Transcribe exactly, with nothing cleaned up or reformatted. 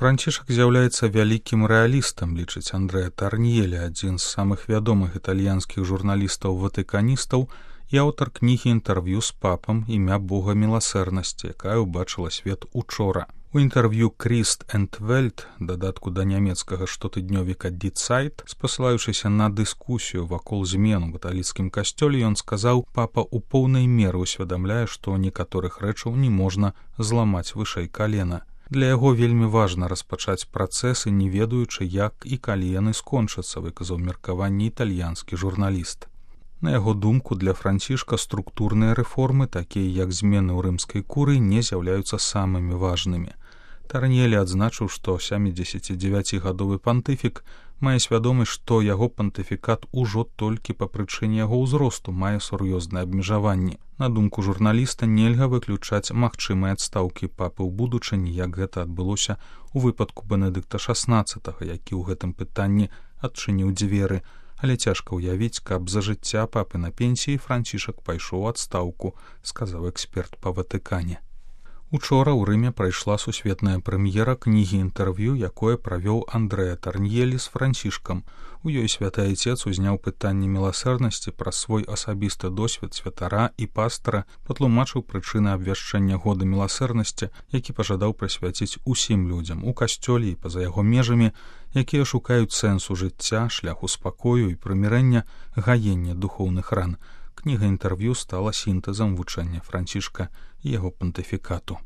Францішак з'яўляецца вялікім рэалістам, лічыць Андрэа Тарньелі, адзін з самых вядомых італьянскіх журналістаў-ватыканістаў і аўтар кнігі інтэрв'ю з папам «Імя Бога міласэрнасці», якая ўбачыла свет учора. У інтэрв'ю «Кріст энд Вельт», дадатку да нямецкага штотыднёвіка «Die Zeit», спасылаючыся на дыскусію вакол змен у каталіцкім касцёле, ён сказаў, папа ў поўнай меры ўсведамляе, што некаторых рэчаў не можна зламаць вышэй калена. Для яго вельмі важна распачаць працэсы, не ведаючы, як і калі яны скончацца, выказаў меркаванне італьянскі журналіст. На яго думку, для Францішка структурныя рэформы, такія як змены ў рымскай курыі, не з'яўляюцца самымі важнымі. Тарньелі адзначыў, што сямідзесяцідзевяцігадовы пантыфік мае свядомасць, што яго пантыфікат ужо толькі па прычыне яго ўзросту мае сур'ёзныя абмежаванні. На думку журналіста, нельга выключаць магчымыя адстаўкі папы ў будучыні, як гэта адбылося ў выпадку Бенедыкта шаснаццатага, які ў гэтым пытанні адчыніў дзверы, але цяжка ўявіць, каб за жыцця папы на пенсіі Францішак пайшоў у адстаўку, сказаў эксперт па Ватыкане. Учора ў Рыме прайшла сусветная прэм'ера кнігі інтэрв'ю, якое правёў Андрэа Тарньелі з Францішкам. У ёй святы айцец узняў пытанне міласэрнасці праз свой асабісты досвед святара і пастара, патлумачыў прычыны абвяшчэння года міласэрнасці, які пажадаў прысвяціць усім людзям у касцёле і па-за яго межамі, якія шукаюць сэнсу жыцця, шляху спакою і прымірэння, гаення духоўных ран. Кніга інтэрв'ю стала сінтэзам вучэння Францішка і яго пантыфікату.